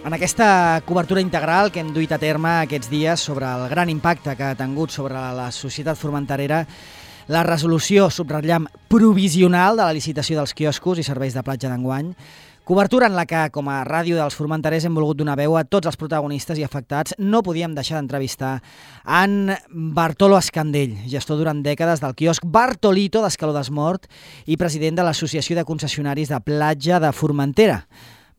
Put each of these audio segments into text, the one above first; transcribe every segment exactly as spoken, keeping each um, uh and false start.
En aquesta cobertura integral que hem duit a terme aquests dies sobre el gran impacte que ha tingut sobre la societat formenterera, la resolució, subratllam, provisional de la licitació dels quioscos i serveis de platja d'enguany, cobertura en la que, com a ràdio dels formenterers, hem volgut donar veu a tots els protagonistes i afectats. No podíem deixar d'entrevistar en Bartolo Escandell, gestor durant dècades del quiosc Bartolito d'Escaló d'Esmort i president de l'Associació de Concessionaris de Platja de Formentera.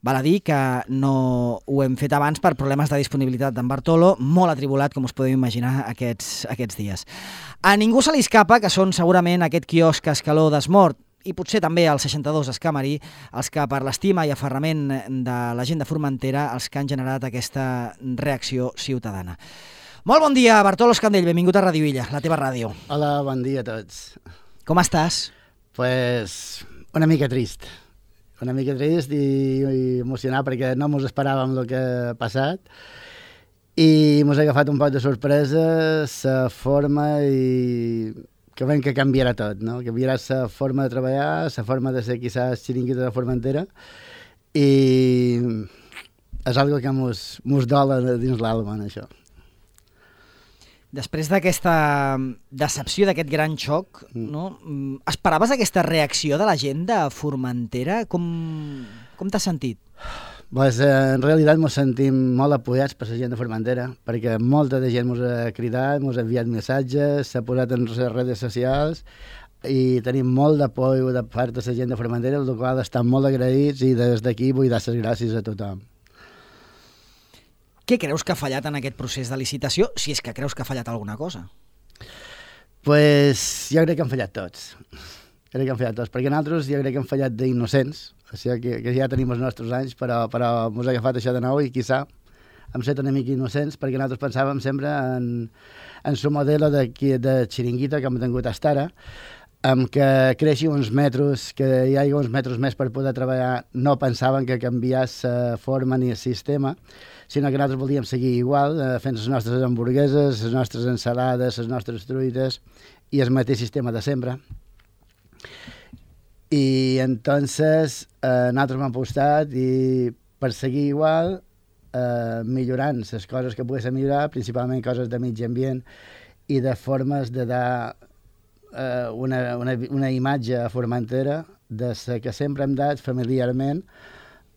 Val a dir que no ho hem fet abans per problemes de disponibilitat d'en Bartolo, molt atribulat, com us podeu imaginar, aquests, aquests dies. A ningú se li escapa que són segurament aquest quiosc Escaló d'Esmort i potser també el seixanta-dos Escamarí, els que per l'estima i aferrament de la gent de Formentera els que han generat aquesta reacció ciutadana. Molt bon dia, Bartolo Escandell, benvingut a Ràdio Illa, la teva ràdio. Hola, bon dia a tots. Com estàs? Pues una mica trist. Una mica trist i, i emocionat perquè no mos esperàvem el que ha passat i mos ha agafat un poc de sorpresa la forma i que veiem que canviarà tot, no? Canviarà la forma de treballar, la forma de ser quizás xiringuito de Formentera i és algo que mos, mos dola dins l'alma, això. Després d'aquesta decepció, d'aquest gran xoc, no? Esperaves aquesta reacció de la gent de Formentera? Com, com t'has sentit? Pues, en realitat ens sentim molt apoyats per la gent de Formentera, perquè molta de gent ens ha cridat, ens ha enviat missatges, s'ha posat en les redes socials i tenim molt d'apoi de part de la gent de Formentera, el qual estan molt agraïts i des d'aquí vull dar les gràcies a tothom. Què creus que ha fallat en aquest procés de licitació, si és que creus que ha fallat alguna cosa? Pues jo crec que han fallat tots. Crec que han fallat tots, perquè nosaltres jo crec que han fallat d'innocents, o sigui que, que ja tenim els nostres anys, però, però ens ha agafat això de nou i quizà hem set una mica innocents, perquè nosaltres pensàvem sempre en, en su modelo de, de xiringuito que hem tingut fins ara, amb que creixi uns metres, que hi hagi uns metres més per poder treballar, no pensaven que canviés la forma ni el sistema, sinó que nosaltres volíem seguir igual, eh, fent les nostres hamburgueses, les nostres ensalades, les nostres truites i el mateix sistema de sempre. I entonces eh, nosaltres hem apostat i per seguir igual, eh, millorant les coses que poguessin millorar, principalment coses de mig ambient i de formes de dar eh, una, una, una imatge a Formentera de la que sempre hem dat familiarment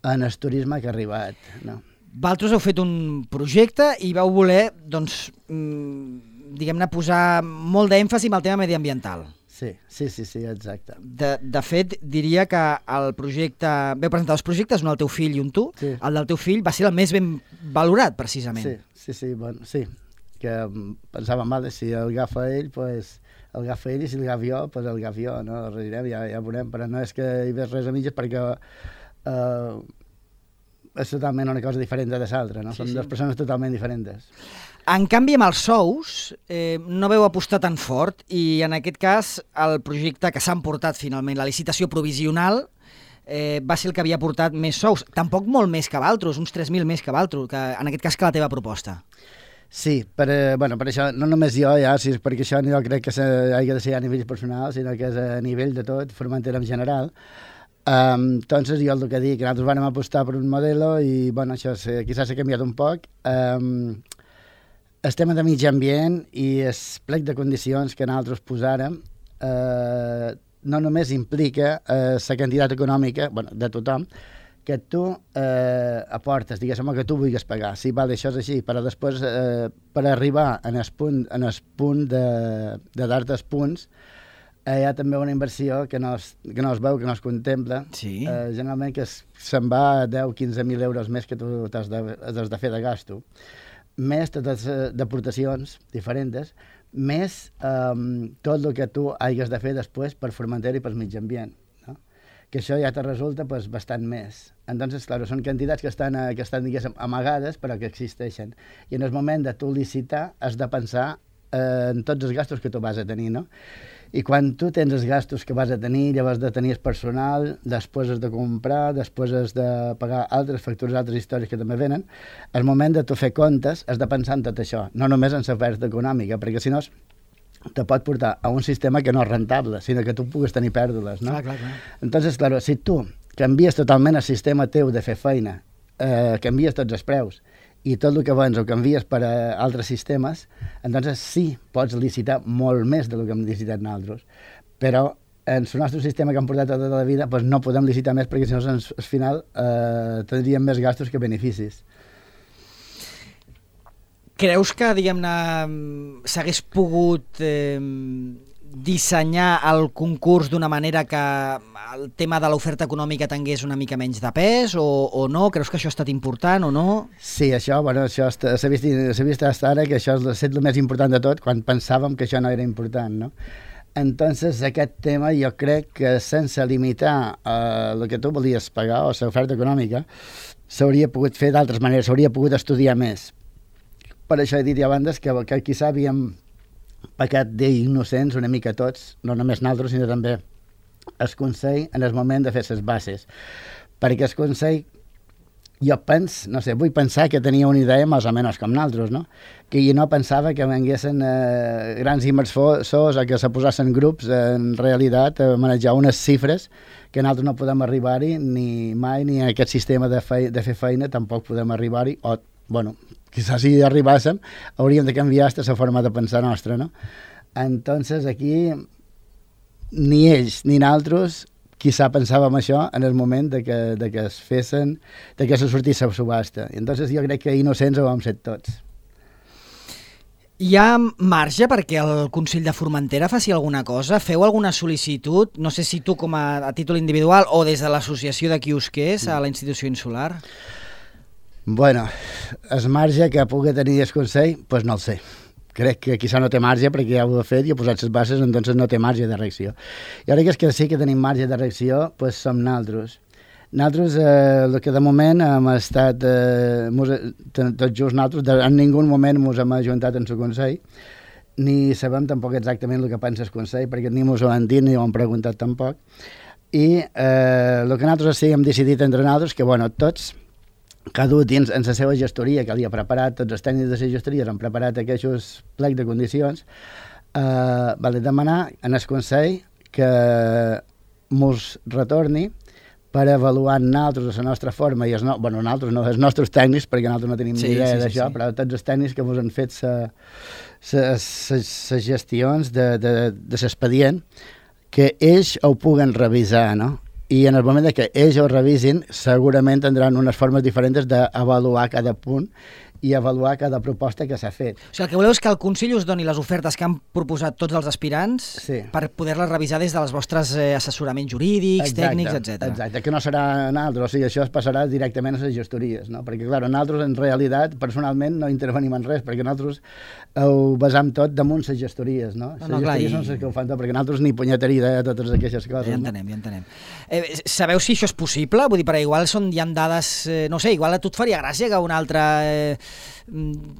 en el turisme que ha arribat, no? Vosaltres heu fet un projecte i vau voler, doncs, diguem-ne, posar molt d'èmfasi en el tema mediambiental. Sí, sí, sí, sí, exacte. De, de fet, diria que el projecte... Veu presentar dos projectes, un del teu fill i un tu. Sí. El del teu fill va ser el més ben valorat, precisament. Sí, sí, sí, bueno, sí. Que pensàvem, vale, si el agafa ell, pues, el agafa ell, i si el agafa jo, pues el agafa jo, no? El redirem, ja, ja veurem, però no és que hi ves res a mitges perquè... Eh, és totalment una cosa diferent de l'altra, no? Sí, Són sí. dues persones totalment diferents. En canvi, amb els sous, eh, no veu apostar tan fort i, en aquest cas, el projecte que s'ha emportat finalment, la licitació provisional, eh, va ser el que havia portat més sous. Tampoc molt més que Valtros, uns tres mil més que Valtros, que, en aquest cas que la teva proposta. Sí, per, eh, bueno, per això, no només jo, ja, sí, perquè això jo crec que ha de ser a nivell personal, sinó que és a nivell de tot, Formentera en general. Um, entonces jo el que dic, que nosaltres vam apostar per un modelo i bueno, això quizás s'ha canviat un poc. Um, el tema de mig ambient i el plec de condicions que nosaltres posàrem uh, no només implica uh, la quantitat econòmica, bueno, de tothom, que tu uh, aportes, diguéssim, que tu vulguis pagar. Sí, vale, això és així, però després uh, per arribar en el punt, en el punt de, de dar-te els punts, hi ha també una inversió que no es, que no es veu, que no es contempla, sí. eh, generalment que se'n va a deu a quinze mil euros més que tu has de, has de fer de gasto, més totes d'aportacions diferents, més eh, tot el que tu hagis de fer després per Formentera i per mig ambient, no? Que això ja te resulta pues, bastant més. Entonces, claro, són quantitats que estan, que estan diguéssim, amagades, però que existeixen. I en el moment de tu licitar has de pensar eh, en tots els gastos que tu vas a tenir, no? I quan tu tens els gastos que vas a tenir, llavors de tenir el personal, després has de comprar, després has de pagar altres factures, altres històries que també venen, al moment de tu fer comptes has de pensar en tot això, no només en la pèrdua econòmica, perquè si no te pot portar a un sistema que no és rentable, sinó que tu puguis tenir pèrdues, no? Clar, clar, clar. Entonces, claro, si tu canvies totalment el sistema teu de fer feina eh, canvies tots els preus i tot el que vens ho canvies per a altres sistemes, entonces sí, pots licitar molt més del que hem licitat nosaltres, però en el nostre sistema que hem portat tota la vida pues no podem licitar més perquè si no al final eh, tindríem més gastos que beneficis. Creus que, diguem-ne, s'hagués pogut eh, dissenyar el concurs d'una manera que el tema de l'oferta econòmica tingués una mica menys de pes o, o no? Creus que això ha estat important o no? Sí, això, bueno, això s'ha vist, vist fins ara que això és el més important de tot quan pensàvem que això no era important, no? Entonces, aquest tema jo crec que sense limitar eh, el que tu volies pagar o l'oferta econòmica s'hauria pogut fer d'altres maneres, s'hauria pogut estudiar més. Per això he dit ja abans que, que quizà havíem pecat d'innocents una mica tots, no només nosaltres, sinó també el Consell en el moment de fer les bases. Perquè el Consell, jo penso, no sé, vull pensar que tenia una idea més o menys com nosaltres, no? Que jo no pensava que venguessin eh, grans inversors o que se posessin grups en realitat a manejar unes xifres que nosaltres no podem arribar-hi ni mai, ni en aquest sistema de, fei de fer feina tampoc podem arribar-hi, o, bueno, quizás si arribàssim hauríem de canviar aquesta forma de pensar nostra, no? Entonces aquí ni ells ni nosaltres quizá pensàvem això en el moment de que, de que es fessin, de que se sortís la subhasta. I entonces jo crec que innocents ho vam ser tots. Hi ha marge perquè el Consell de Formentera faci alguna cosa? Feu alguna sol·licitud? No sé si tu com a, a títol individual o des de l'associació de quiosquers a la institució insular? Bueno, el marge que pugui tenir el Consell, doncs pues no el sé. Crec que quizá no té marge perquè ja ho ha fet i ha posat les bases, entonces no té marge de reacció. I ara que és que sí que tenim marge de reacció, doncs pues som nosaltres. Nosaltres, eh, el que de moment hem estat, eh, mos, tot just nosaltres, de, en ningú moment ens hem ajuntat en el Consell, ni sabem tampoc exactament el que pensa el Consell, perquè ni ens ho han dit ni ho han preguntat tampoc. I eh, el que nosaltres sí hem decidit entre nosaltres, que bueno, tots, cada un dins en la seva gestoria que li ha preparat, tots els tècnics de la gestoria han preparat aquests plecs de condicions, eh, vale demanar en el Consell que mos retorni per avaluar nosaltres la nostra forma, i els no, bueno, nosaltres no, els nostres tècnics, perquè nosaltres no tenim sí, ni idea sí, d'això, sí, sí. Però tots els tècnics que mos han fet les gestions de, de, de l'expedient, que ells ho puguen revisar, no? I en el moment que ells ho revisin, segurament tindran unes formes diferents d'avaluar cada punt i avaluar cada proposta que s'ha fet. O sigui, el que voleu és que el Consell us doni les ofertes que han proposat tots els aspirants sí. per poder-les revisar des dels vostres eh, assessoraments jurídics, exacte, tècnics, etcètera. Exacte, que no serà nosaltres, o sigui, això es passarà directament a les gestories, no? Perquè, clar, nosaltres en realitat, personalment, no intervenim en res, perquè nosaltres ho basam tot damunt les gestories, no? Les no, no, gestories clar, són i... les que ho fan tot, perquè nosaltres ni punyeteria idea de totes aquestes coses. Ja entenem, no? ja entenem. Eh, sabeu si això és possible? Vull dir, perquè igual són, hi ha dades, eh, no sé, igual a tu et faria gràcia que un altre eh,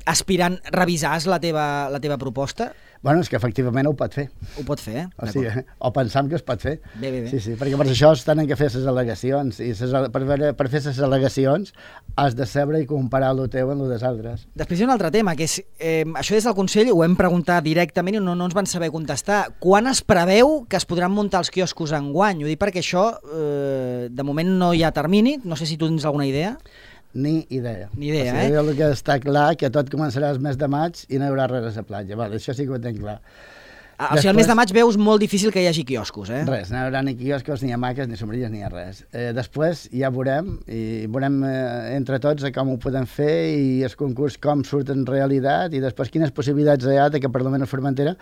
aspirant revisàs la teva, la teva proposta? Bueno, és que efectivament ho pot fer. Ho pot fer, eh? O, sigui, o pensam que es pot fer. Bé, bé, bé. Sí, sí, perquè per això es tenen que fer les al·legacions, i ses, per, per fer les al·legacions has de saber i comparar el teu amb el dels altres. Després hi ha un altre tema, que és, eh, això des del Consell ho hem preguntat directament i no, no ens van saber contestar. Quan es preveu que es podran muntar els quioscos enguany? Ho dic perquè això, eh, de moment no hi ha termini, no sé si tu tens alguna idea. Ni idea. Ni idea, o sigui, eh? El que està clar que tot començarà el mes de maig i no hi haurà res a la platja. Vale, això sí que ho tenc clar. Ah, o sigui, el mes de maig veus molt difícil que hi hagi quioscos, eh? Res, no hi haurà ni quioscos, ni hamaques, ni sombrilles, ni res. Eh, després ja veurem, i veurem eh, entre tots com ho podem fer i el concurs com surt en realitat i després quines possibilitats hi ha de que per lo menos Formentera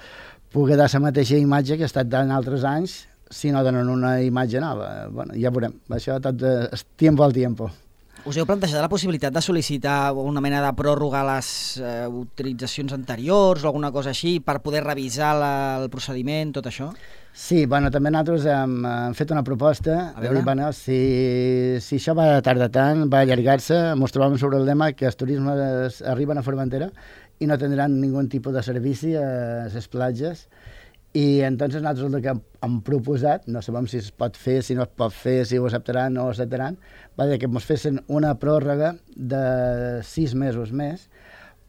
pugui dar la mateixa imatge que ha estat dant altres anys si no donen una imatge nova. Bueno, ja veurem. Això tot eh, és tiempo al tiempo. Us heu plantejat la possibilitat de sol·licitar una mena de pròrroga a les eh, utilitzacions anteriors o alguna cosa així per poder revisar la, el procediment, tot això? Sí, bueno, també nosaltres hem, hem fet una proposta. A veure? Dir, bueno, si, si això va tardar tant, va allargar-se, ens trobem sobre el lema que els turismes arriben a Formentera i no tindran ningun tipus de servici a les platges. I entonces nosaltres el que hem proposat, no sabem si es pot fer, si no es pot fer, si ho acceptaran o no ho acceptaran, va dir que ens fessin una pròrroga de sis mesos més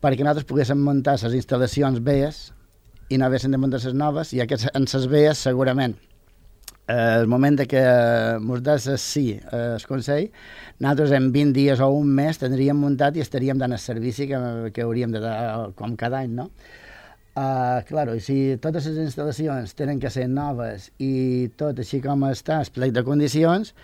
perquè nosaltres poguéssim muntar les instal·lacions velles i no haguessin de muntar les noves, i aquests, en les velles segurament eh, el moment de que ens des el sí, eh, el Consell, nosaltres en vint dies o un mes tindríem muntat i estaríem dant el servici que, que hauríem de dar com cada any, no? Uh, claro, i si totes les instal·lacions tenen que ser noves i tot així com està, el plec de condicions,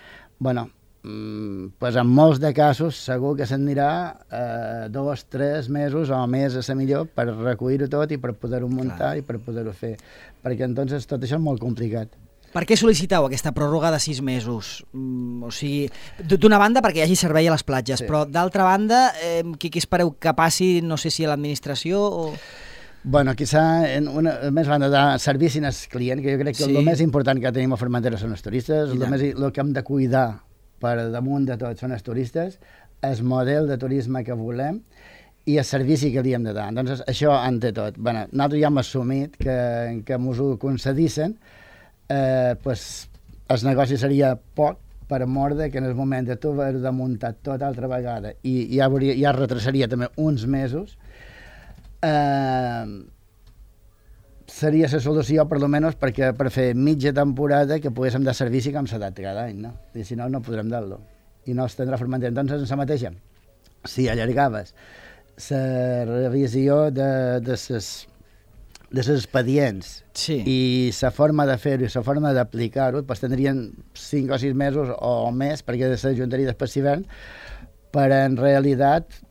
bueno, mm, pues en molts de casos segur que s'anirà uh, dos, tres mesos o més a ser millor per recollir-ho tot i per poder-ho muntar Clar. I per poder-ho fer, perquè entonces tot això és molt complicat. Per què sol·liciteu aquesta pròrroga de sis mesos? Mm, o sigui, d'una banda perquè hi hagi servei a les platges, sí. Però d'altra banda, eh, què, què espereu que passi, no sé si a l'administració o... Bueno, quizá en una, a més banda de servici al client, que jo crec que sí. El més important que tenim a Formentera són els turistes, el, més, el que hem de cuidar per damunt de tot són els turistes, el model de turisme que volem i el servici que li hem de dar. Doncs això ante tot. Bueno, nosaltres ja hem assumit que, que ens ho concedissin, eh, pues, el negoci seria poc per mort de que en el moment de tu haver de muntar tot altra vegada i ja, hauria, ja retrasaria també uns mesos, Uh, seria la solució per almenys perquè per fer mitja temporada que poguéssim dar servici com s'ha dat cada any, no? I si no, no podrem dar-lo i no es tindrà Formentera. Entonces, en la mateixa, si allargaves la revisió de, de ses de les expedients sí. I la forma de fer-ho i la forma d'aplicar-ho, pues tindrien cinc o sis mesos o més perquè s'ajuntaria després l'hivern per en realitat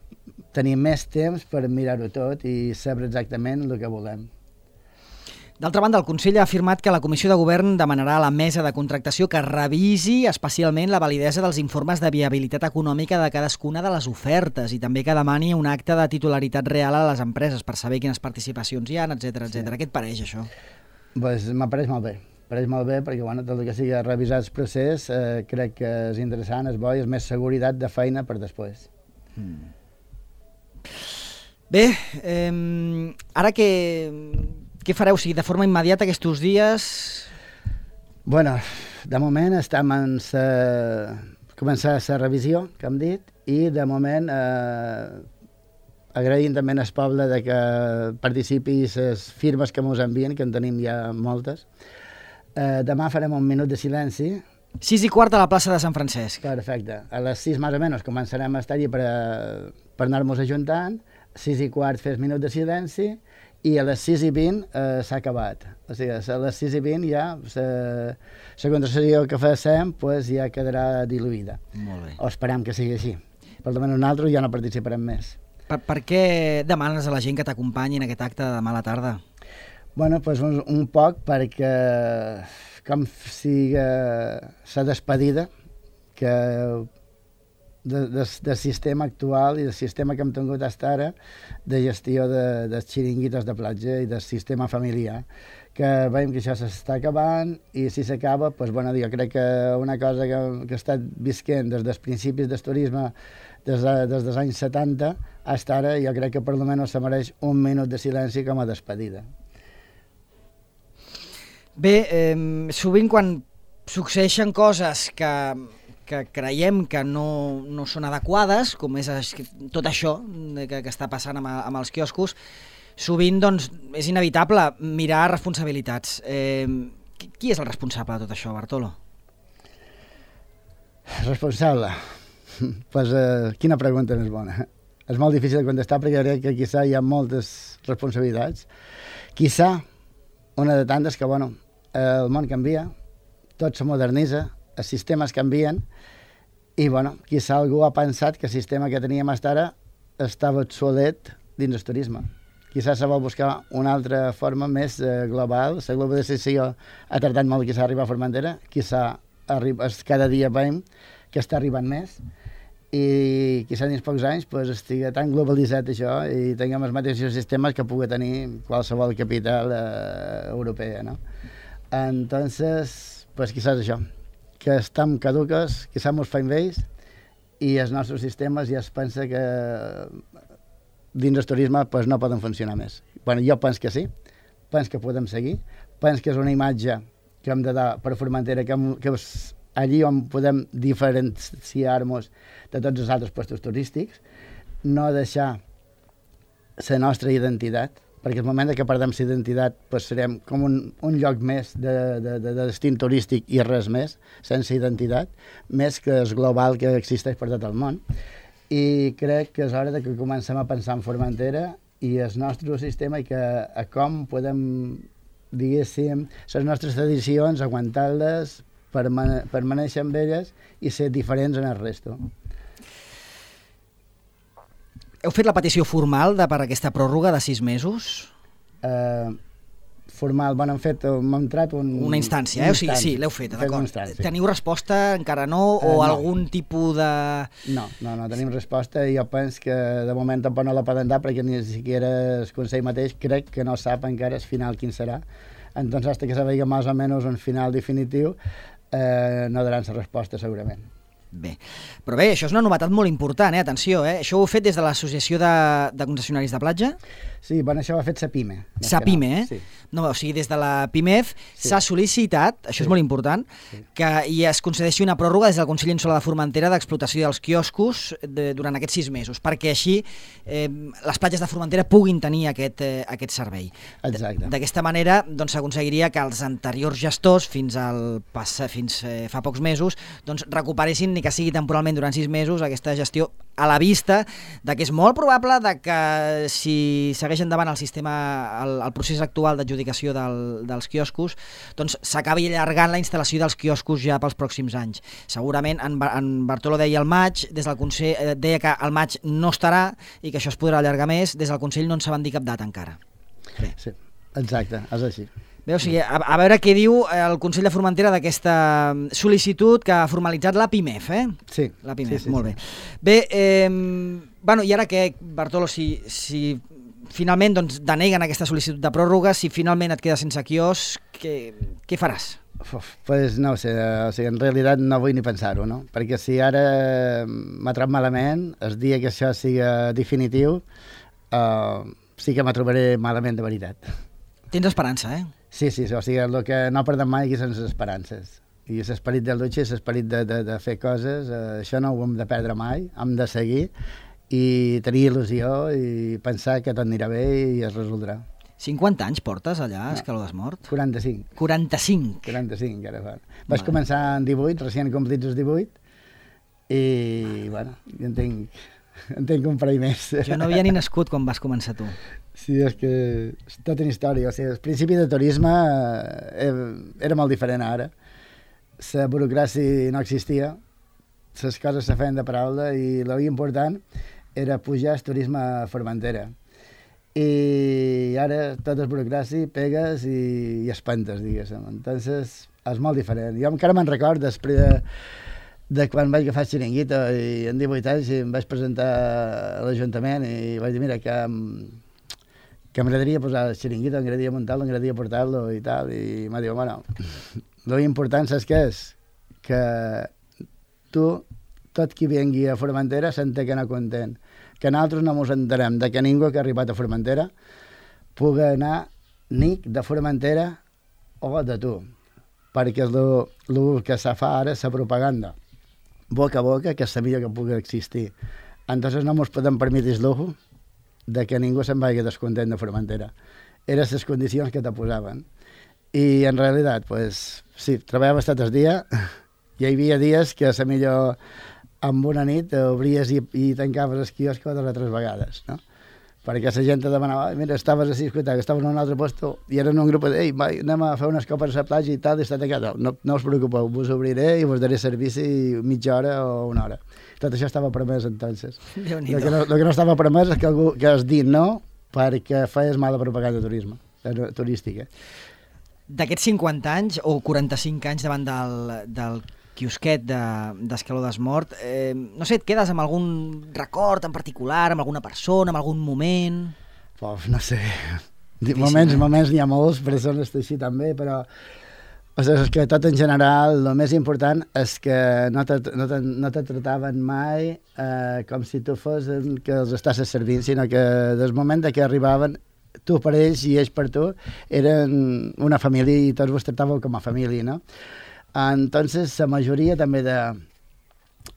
tenir més temps per mirar-ho tot i saber exactament el que volem. D'altra banda, el Consell ha afirmat que la Comissió de Govern demanarà a la mesa de contractació que revisi especialment la validesa dels informes de viabilitat econòmica de cadascuna de les ofertes i també que demani un acte de titularitat real a les empreses per saber quines participacions hi ha, etcètera, etcètera. Sí. Què et pareix, això? Pues m'apareix molt bé. Pareix molt bé perquè bueno, tot el que sigui revisar el procés eh, crec que és interessant, és bo i és més seguretat de feina per després. Hmm. Bé, eh, ara què, què fareu? O sigui, de forma immediata aquests dies? Bueno, de moment estem en sa... començar la revisió, que hem dit, i de moment eh, agraïm també al poble de que participi les firmes que ens envien, que en tenim ja moltes. Eh, demà farem un minut de silenci. Sis i quart a la plaça de Sant Francesc. Perfecte. A les sis més o menys començarem a estar-hi per, per anar-nos ajuntant, sis i quart fes minut de silenci i a les sis i vint eh, s'ha acabat. O sigui, a les sis i vint ja la contracció que fem pues, ja quedarà diluïda. Molt bé. O esperem que sigui així. Per almenys nosaltres ja no participarem més. Per, per què demanes a la gent que t'acompanyi en aquest acte de demà a la tarda? Bueno, pues un, un poc perquè com sigui la despedida que de, de, del sistema actual i del sistema que hem tingut fins ara de gestió de, dels xiringuitos de platja i del sistema familiar, que veiem que això s'està acabant i si s'acaba, doncs, bueno, jo crec que una cosa que, que ha estat visquent des dels principis del turisme des, de, des dels anys setanta fins ara, jo crec que per almenys se mereix un minut de silenci com a despedida. Bé, eh, sovint quan succeeixen coses que, que creiem que no, no són adequades, com és tot això que, que està passant amb, amb els quioscos, sovint doncs, és inevitable mirar responsabilitats. Eh, qui és el responsable de tot això, Bartolo? Responsable? Pues, eh, quina pregunta més bona. És molt difícil de contestar perquè crec que quizà hi ha moltes responsabilitats. Quizà una de tantes que, bueno, el món canvia, tot se modernitza, els sistemes canvien i, bueno, quizà algú ha pensat que el sistema que teníem fins ara estava obsolet dins el turisme. Quizà se vol buscar una altra forma més eh, global. La globalització ha tardat molt quizà arribar a Formentera, quizà arriba, cada dia veiem que està arribant més i quizà dins pocs anys pues, estigui tan globalitzat això i tinguem els mateixos sistemes que pugui tenir qualsevol capital eh, europea, no? Entonces, pues quizás això, que estem caduques, quizás ens fem vells i els nostres sistemes ja es pensa que dins del turisme pues, no poden funcionar més. Bueno, jo penso que sí, penso que podem seguir, penso que és una imatge que hem de dar per Formentera, que, hem, que és allí on podem diferenciar-nos de tots els altres puestos turístics, no deixar la nostra identitat, perquè el moment que perdem la identitat pues serem com un, un lloc més de, de, de destí turístic i res més, sense identitat, més que el global que existeix per tot el món. I crec que és hora de que comencem a pensar en Formentera i el nostre sistema i que a com podem, diguéssim, les nostres tradicions, aguantar-les, permanèixer amb elles i ser diferents en el resto. Heu fet la petició formal de, per aquesta pròrroga de sis mesos? Uh, formal, bueno, hem fet, hem entrat un... Una instància, eh? O sigui, sí, l'heu fet, d'acord. Teniu resposta, encara no, o uh, no. algun tipus de... No, no, no tenim resposta i jo penso que de moment tampoc no la poden dar perquè ni siquiera el Consell mateix crec que no sap encara el final quin serà. Entonces, hasta que se vegi més o menys un final definitiu, eh, no daran la resposta segurament. Bé, però bé, això és una novetat molt important, eh? Atenció, eh? Això ho heu fet des de l'Associació de, de Concessionaris de Platja? Sí, bueno, això ho ha fet Sapime. Sapime, eh? Sí. No, o sigui, des de la PIMEF sí. s'ha sol·licitat, això sí. és molt important, sí. que hi es concedeixi una pròrroga des del Consell Insular de Formentera d'explotació dels quioscos de, durant aquests sis mesos, perquè així eh, les platges de Formentera puguin tenir aquest, eh, aquest servei. Exacte. D'aquesta manera doncs, s'aconseguiria que els anteriors gestors, fins, al pas, fins eh, fa pocs mesos, doncs, recuperessin, ni que sigui temporalment durant sis mesos, aquesta gestió a la vista de que és molt probable de que si segueix endavant el sistema, el, el procés actual d'adjudicació del, dels quioscos, doncs s'acabi allargant la instal·lació dels quioscos ja pels pròxims anys. Segurament en, en Bartolo deia al maig, des del Consell, eh, deia que al maig no estarà i que això es podrà allargar més, des del Consell no en saben dir cap data encara. Bé. Sí, exacte, és així. Bé, o sigui, a, a veure què diu el Consell de Formentera d'aquesta sol·licitud que ha formalitzat la PIMEF, eh? Sí. La PIMEF, sí, sí, molt sí. bé. Bé, eh, bueno, i ara què, Bartolo, si, si finalment doncs, deneguen aquesta sol·licitud de pròrroga, si finalment et quedes sense quios, què, què faràs? Uf, pues no ho sé, o sigui, en realitat no vull ni pensar-ho, no? Perquè si ara m'ha trobat malament, el dia que això siga definitiu, uh, sí que m'ha trobaré malament de veritat. Tens esperança, eh? Sí, sí, o sigui, el que no perdem mai aquí són les esperances. I l'esperit de lucha i l'esperit de, de, de fer coses, eh, això no ho hem de perdre mai, hem de seguir i tenir il·lusió i pensar que tot anirà bé i es resoldrà. cinquanta anys portes allà, a Escaló d'Esmort? quaranta-cinc. quaranta-cinc? quaranta-cinc, encara fa. Vaig bueno. començar en divuit, recient complits els divuit, i, bueno, en tinc, en tinc un parell més. Jo no havia ni nascut quan vas començar tu. Sí, és que és tota una història. O sigui, el principi de turisme eh, era molt diferent ara. La burocràcia no existia, les coses se feien de paraula i l'important era pujar el turisme a Formentera. I ara tot és burocràcia, pegues i, i espantes, diguéssim. Entonces, és molt diferent. Jo encara me'n record després de, de quan vaig agafar el xiringuito i en divuit anys em vaig presentar a l'Ajuntament i vaig dir, mira, que... que m'agradaria posar el xiringuito, m'agradaria muntar-lo, m'agradaria portar-lo i tal, i m'ha dit, bueno, l'important saps què és? Que tu, tot qui vingui a Formentera, senta que no content, que nosaltres no ens entenem de que ningú que ha arribat a Formentera pugui anar ni de Formentera o de tu, perquè és el que se fa ara, la propaganda, boca a boca, que és la millor que pugui existir. Entonces no ens podem permetre el lujo de que ningú se'n vagi descontent de Formentera. Eren les condicions que te posaven. I en realitat, pues, sí, treballava tot el dia, hi havia dies que a la millor amb una nit obries i, i tancaves el quiosc dues o tres vegades, no? Perquè la gent te demanava, mira, estaves així, escolta, que estaves en un altre lloc, i eren un grup de, ei, vai, anem a fer unes copes a la platja i tal, i està tancat. No, no us preocupeu, vos obriré i vos daré servici mitja hora o una hora. Tot això estava permès, entonces. El que, no, el que no estava permès és que, algú, que es dit no perquè feies mala propaganda de turisme, turística. D'aquests cinquanta anys o quaranta-cinc anys davant del, del quiosquet d'Escaló de, d'Esmort, eh, no sé, et quedes amb algun record en particular, amb alguna persona, amb algun moment? Uf, no sé. Difícil, moments, eh? moments n'hi ha molts, persones així també, però o sigui, és que tot en general, el més important és que no te, no te, no te trataven mai eh, com si tu fos que els estàs servint, sinó que des moment que arribaven, tu per ells i ells per tu, eren una família i tots vos tractàveu com a família, no? Entonces, la majoria també de,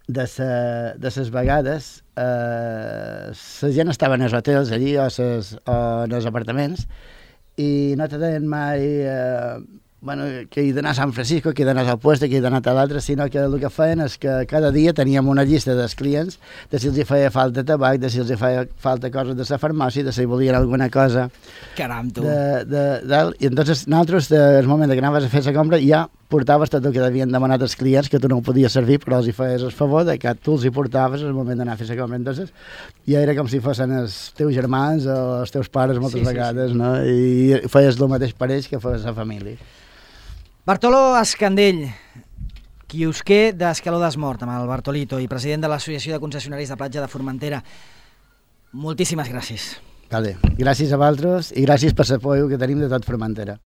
de les vegades eh, la gent estava en els hotels allí o, ses, o en els apartaments i no te deien mai eh, bueno, que he d'anar a San Francisco, que he d'anar al puesto, que he d'anar a l'altre, sinó que el que feien és que cada dia teníem una llista dels clients de si els hi feia falta tabac, de si els hi feia falta coses de la farmàcia, de si volien alguna cosa. Caram, tu! De, de, de, I entonces nosaltres, el moment que anaves a fer la compra, ja portaves tot el que havien demanat els clients, que tu no ho podies servir, però els hi feies el favor de que tu els hi portaves al moment d'anar a fer la compra. Entonces, ja era com si fossin els teus germans o els teus pares moltes sí, vegades, sí, sí. No? I feies el mateix per ells que feies la família. Bartolo Escandell, quiosquer d'Escaló d'Esmort, amb el Bartolito, i president de l'Associació de Concessionaris de Platja de Formentera. Moltíssimes gràcies. Vale. Gràcies a vosaltres i gràcies per l'apoyo que tenim de tot Formentera.